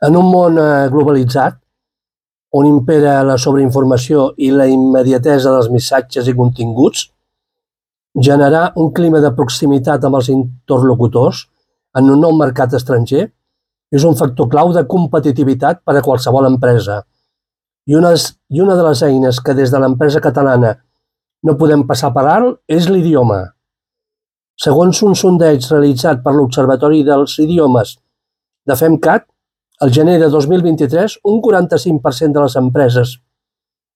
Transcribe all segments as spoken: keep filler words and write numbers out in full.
En un món eh, globalitzat, on impera la sobreinformació i la immediatesa dels missatges i continguts, generar un clima de proximitat amb els interlocutors en un nou mercat estranger és un factor clau de competitivitat per a qualsevol empresa. I una, i una de les eines que des de l'empresa catalana no podem passar per alt és l'idioma. Segons un sondeig realitzat per l'Observatori dels Idiomes de FEMCAT, al gener de dos mil vint-i-tres, un quaranta-cinc per cent de les empreses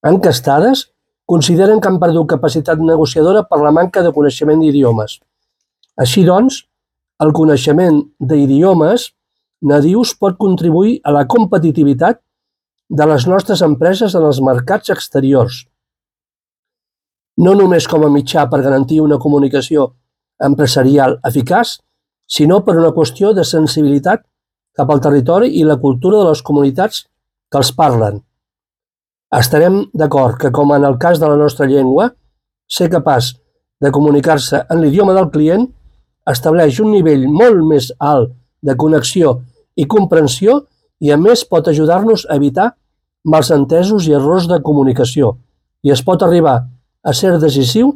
enquestades consideren que han perdut capacitat negociadora per la manca de coneixement d'idiomes. Així doncs, el coneixement d'idiomes nadius pot contribuir a la competitivitat de les nostres empreses en els mercats exteriors. No només com a mitjà per garantir una comunicació empresarial eficaç, sinó per una qüestió de sensibilitat cap al territori i la cultura de les comunitats que els parlen. Estarem d'acord que, com en el cas de la nostra llengua, ser capaç de comunicar-se en l'idioma del client estableix un nivell molt més alt de connexió i comprensió i, a més, pot ajudar-nos a evitar malentesos i errors de comunicació i es pot arribar a ser decisiu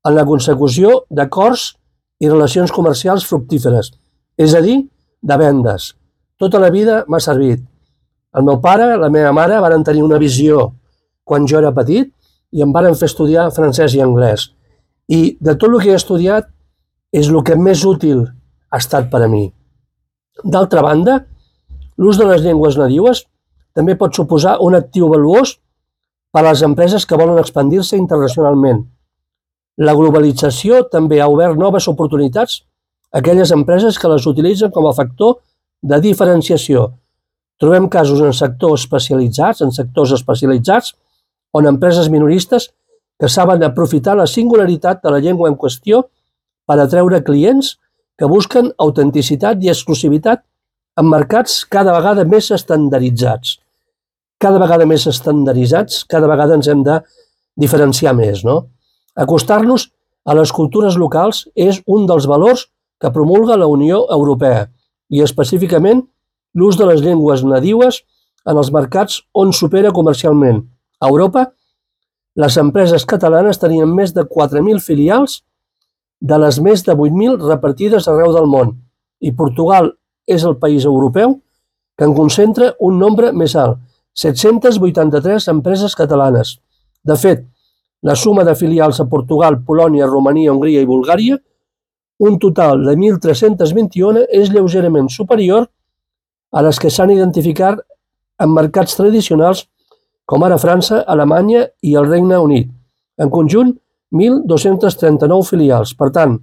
en la consecució d'acords i relacions comercials fructíferes, és a dir, de vendes. Tota la vida m'ha servit. El meu pare, la meva mare, varen tenir una visió quan jo era petit i em varen fer estudiar francès i anglès. I de tot el que he estudiat és el que més útil ha estat per a mi. D'altra banda, l'ús de les llengües nadiues també pot suposar un actiu valuós per a les empreses que volen expandir-se internacionalment. La globalització també ha obert noves oportunitats a aquelles empreses que les utilitzen com a factor de diferenciació. Trobem casos en sectors especialitzats, en sectors especialitzats, on empreses minoristes que saben aprofitar la singularitat de la llengua en qüestió per atreure clients que busquen autenticitat i exclusivitat en mercats cada vegada més estandarditzats. Cada vegada més estandarditzats, cada vegada ens hem de diferenciar més, no? Acostar-nos a les cultures locals és un dels valors que promulga la Unió Europea i específicament l'ús de les llengües nadiues en els mercats on s'opera comercialment. A Europa, les empreses catalanes tenien més de quatre mil filials de les més de vuit mil repartides arreu del món i Portugal és el país europeu que en concentra un nombre més alt, set-centes vuitanta-tres empreses catalanes. De fet, la suma de filials a Portugal, Polònia, Romania, Hongria i Bulgària, un total de mil tres-cents vint-i-u, és lleugerament superior a les que s'han identificat en mercats tradicionals com ara França, Alemanya i el Regne Unit. En conjunt, mil dos-cents trenta-nou filials. Per tant,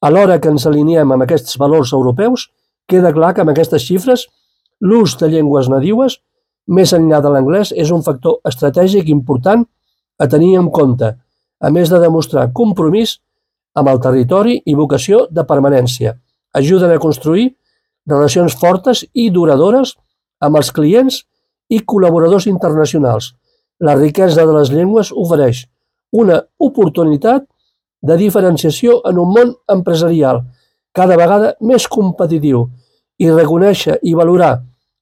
a l'hora que ens alineem amb aquests valors europeus, queda clar que amb aquestes xifres l'ús de llengües nadiues, més enllà de l'anglès, és un factor estratègic important a tenir en compte, a més de demostrar compromís amb el territori i vocació de permanència. Ajuden a construir relacions fortes i duradores amb els clients i col·laboradors internacionals. La riquesa de les llengües ofereix una oportunitat de diferenciació en un món empresarial cada vegada més competitiu i reconèixer i valorar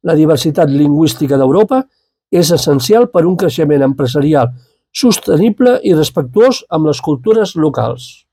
la diversitat lingüística d'Europa és essencial per a un creixement empresarial sostenible i respectuós amb les cultures locals.